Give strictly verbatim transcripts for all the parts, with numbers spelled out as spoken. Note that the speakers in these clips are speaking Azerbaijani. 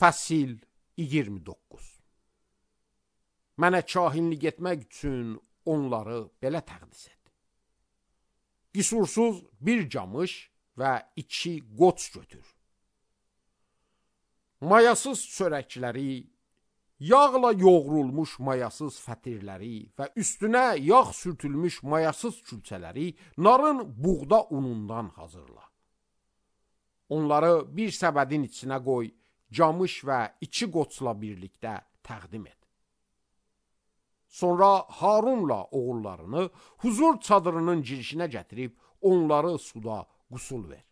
Fəsil iyirmi doqquz. Mənə kahinlik etmək üçün onları belə təqdis et. Qüsursuz bir camış və iki qoç götür. Mayasız çörəkləri, yağla yoğrulmuş mayasız fətirləri və üstünə yağ sürtülmüş mayasız külçələri narın buğda unundan hazırla. Onları bir səbədin içinə qoy, camış və iki qoçla birlikdə təqdim et. Sonra Harunla oğullarını huzur çadırının girişinə gətirib onları suda qusul ver.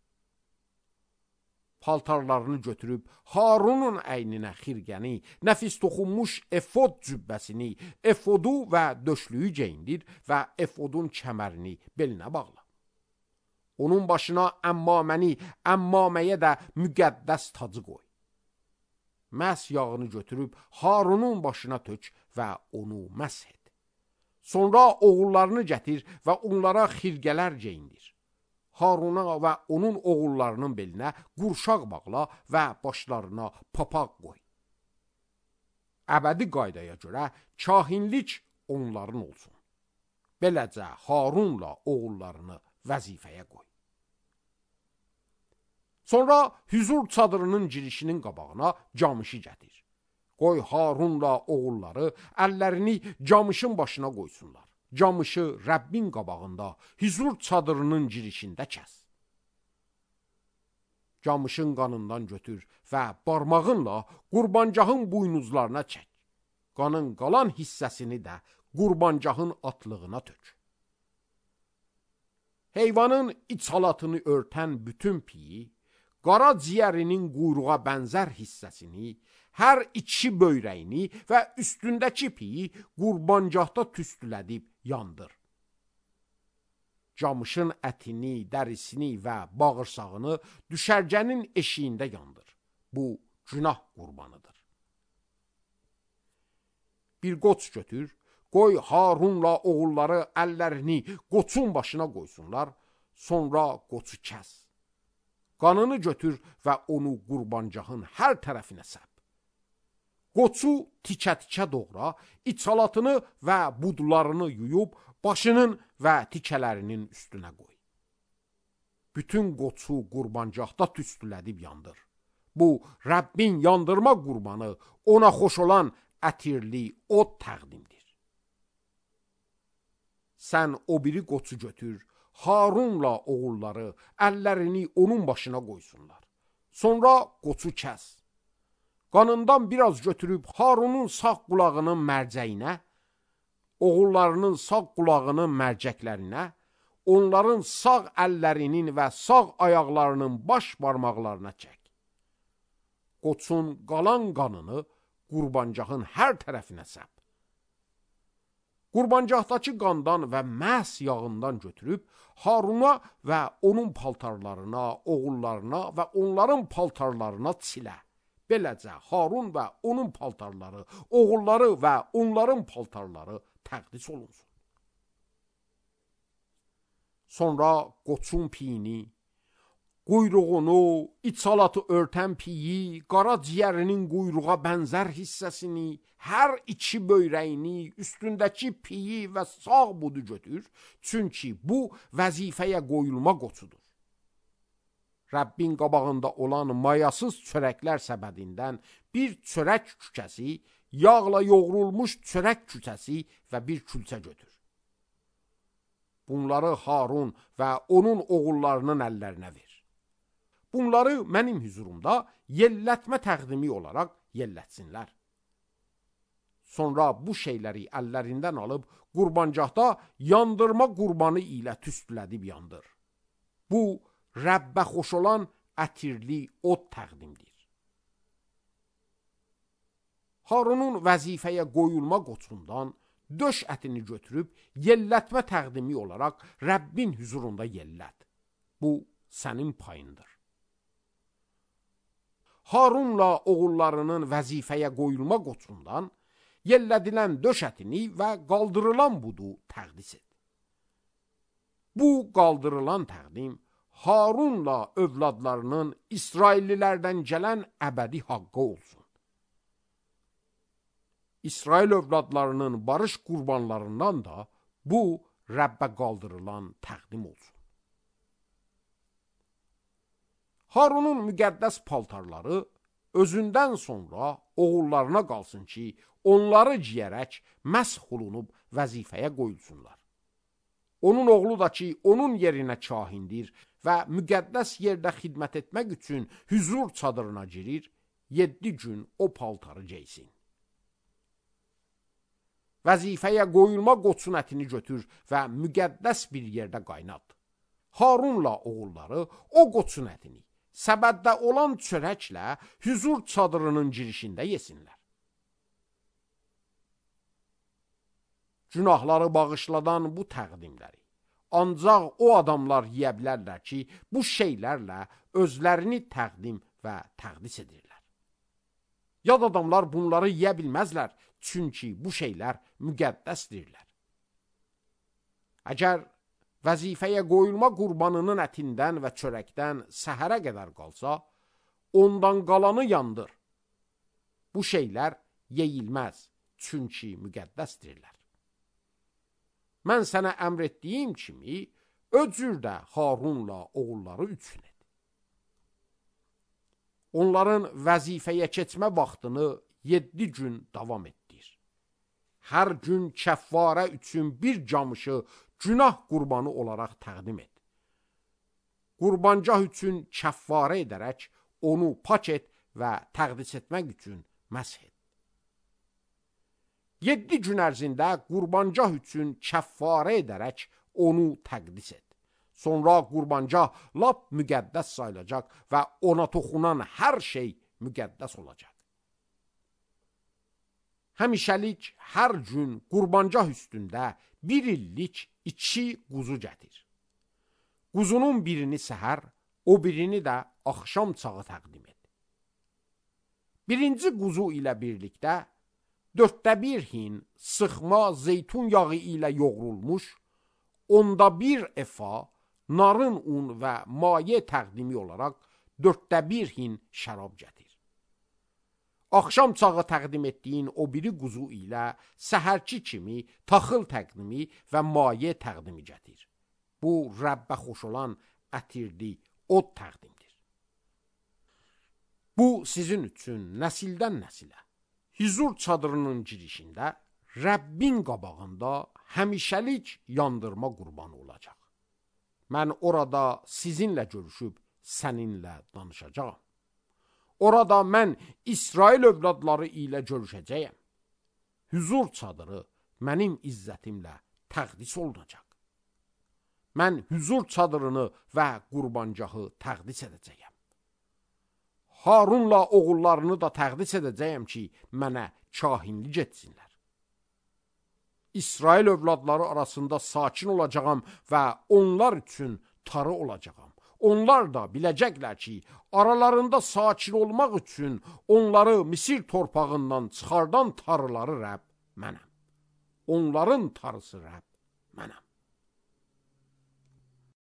Paltarlarını götürüb Harunun əyninə xirqəni, nəfis toxunmuş efod cübbəsini, efodu və döşlüyü geyindir və efodun kəmərini belinə bağla. Onun başına əmmaməni, əmmaməyə də müqəddəs tacı qoy. Məs yağını götürüb Harunun başına tök və onu məsh et. Sonra oğullarını gətir və onlara xirqələr geyindir. Haruna və onun oğullarının belinə qurşaq bağla və başlarına papaq qoy. Əbədi qaydaya görə kahinlik onların olsun. Beləcə Harunla oğullarını vəzifəyə qoy. Sonra hüzur çadırının girişinin qabağına camışı gətir. Qoy Harunla oğulları əllərini camışın başına qoysunlar. Camışı Rəbbin qabağında hüzur çadırının girişində kəs. Camışın qanından götür və barmağınla qurbancağın buynuzlarına çək. Qanın qalan hissəsini də qurbancağın atlığına tök. Heyvanın iç halatını örtən bütün piyi, qara ciyərinin quyruğa bənzər hissəsini, hər iki böyrəyini və üstündəki piyi qurbancaqda tüstülədib yandır. Camışın ətini, dərisini və bağırsağını düşərgənin eşiyində yandır. Bu günah qurbanıdır. Bir qoç götür, qoy Harunla oğulları əllərini qoçun başına qoysunlar, sonra qoçu kəs. Qanını götür və onu qurbancağın hər tərəfinə səp. Qoçu tikə-tikə doğra, içalatını və budlarını yuyub, başının və tikələrinin üstünə qoy. Bütün qoçu qurbancaqda tüstülədib yandır. Bu, Rəbbin yandırma qurbanı, ona xoş olan ətirli od təqdimdir. Sən o biri qoçu götür, Harunla oğulları əllərini onun başına qoysunlar. Sonra qoçu kəs. Qanından biraz götürüb Harunun sağ qulağının mərcəyinə, oğullarının sağ qulağının mərcəklərinə, onların sağ əllərinin və sağ ayaqlarının baş barmaqlarına çək. Qoçun qalan qanını qurbancağın hər tərəfinə səp. Qurbancaqdakı qandan və məhz yağından götürüb Haruna və onun paltarlarına, oğullarına və onların paltarlarına silə. Beləcə Harun və onun paltarları, oğulları və onların paltarları təqdis olunsun. Sonra qoçun piyini, quyruğunu, içalatı örtən piyi, qara ciyərinin quyruğa bənzər hissəsini, hər iki böyrəyini, üstündəki piyi və sağ budu götür, çünki bu vəzifəyə qoyulma qoçudur. Rəbbin qabağında olan mayasız çörəklər səbədindən bir çörək kükəsi, yağla yoğrulmuş çörək kükəsi və bir külçə götür. Bunları Harun və onun oğullarının əllərinə ver. Bunları mənim hüzurumda yellətmə təqdimi olaraq yellətsinlər. Sonra bu şeyləri əllərindən alıb qurbancaqda yandırma qurbanı ilə tüstülədib yandır. Bu, Rəbbə xoş olan ətirli od təqdimdir. Harunun vəzifəyə qoyulma qoçundan döş ətini götürüb yellətmə təqdimi olaraq Rəbbin hüzurunda yellət. Bu, sənin payındır. Harunla oğullarının vəzifəyə qoyulma qoçundan yellədilən döş ətini və qaldırılan budu təqdis et. Bu qaldırılan təqdim Harunla övladlarının İsraillilərdən gələn əbədi haqqı olsun. İsrail övladlarının barış qurbanlarından da bu Rəbbə qaldırılan təqdim olsun. Harunun müqəddəs paltarları özündən sonra oğullarına qalsın ki, onları giyərək məsh olunub vəzifəyə qoyulsunlar. Onun oğlu da ki, onun yerinə kahindir və müqəddəs yerdə xidmət etmək üçün hüzur çadırına girir, yeddi gün o paltarı geysin. Vəzifəyə qoyulma qoçun ətini götür və müqəddəs bir yerdə qaynat. Harunla oğulları o qoçun ətini səbəddə olan çörəklə hüzur çadırının girişində yesinlər. Günahları bağışladan bu təqdimləri ancaq o adamlar yeyə bilərlər ki, bu şeylərlə özlərini təqdim və təqdis edirlər. Yad adamlar bunları yeyə bilməzlər, çünki bu şeylər müqəddəsdirlər. Əgər vəzifəyə qoyulma qurbanının ətindən və çörəkdən səhərə qədər qalsa, ondan qalanı yandır. Bu şeylər yeyilməz, çünki müqəddəsdirlər. Mən sənə əmr etdiyim kimi, o cürdə Harunla oğulları üçün et. Onların vəzifəyə keçmə vaxtını yeddi gün davam etdir. Hər gün kəffarə üçün bir camışı günah qurbanı olaraq təqdim et. Qurbancah üçün kəffarə edərək onu pak et və təqdis etmək üçün məsh et. Yeddi gün ərzində qurbancah üçün kəffarə edərək onu təqdis et. Sonra qurbancah lap müqəddəs sayılacaq və ona toxunan hər şey müqəddəs olacaq. Həmişəlik hər gün qurbancah üstündə bir illik iki quzu gətir. Quzunun birini səhər, o birini də axşam çağı təqdim et. Birinci quzu ilə birlikdə dörddə bir hin sıxma zeytun yağı ilə yoğrulmuş, onda bir efa narın un və maye təqdimi olaraq dörddə bir hin şərab gətir. Axşam çağı təqdim etdiyin o biri quzu ilə səhərki kimi taxıl təqdimi və maye təqdimi gətir. Bu, Rəbbə xoş olan ətirli od təqdimdir. Bu, sizin üçün nəsildən nəsilə, hüzur çadırının girişində, Rəbbin qabağında həmişəlik yandırma qurbanı olacaq. Mən orada sizinlə görüşüb səninlə danışacağam. Orada mən İsrail övladları ilə görüşəcəyəm. Hüzur çadırı mənim izzətimlə təqdis olunacaq. Mən hüzur çadırını və qurbancahı təqdis edəcəyəm. Harunla oğullarını da təqdis edəcəyəm ki, mənə kahinlik etsinlər. İsrail övladları arasında sakin olacağam və onlar üçün tarı olacağam. Onlar da biləcəklər ki, aralarında sakin olmaq üçün onları Misir torpağından çıxardan tarıları Rəbb mənəm. Onların tarısı Rəbb mənəm.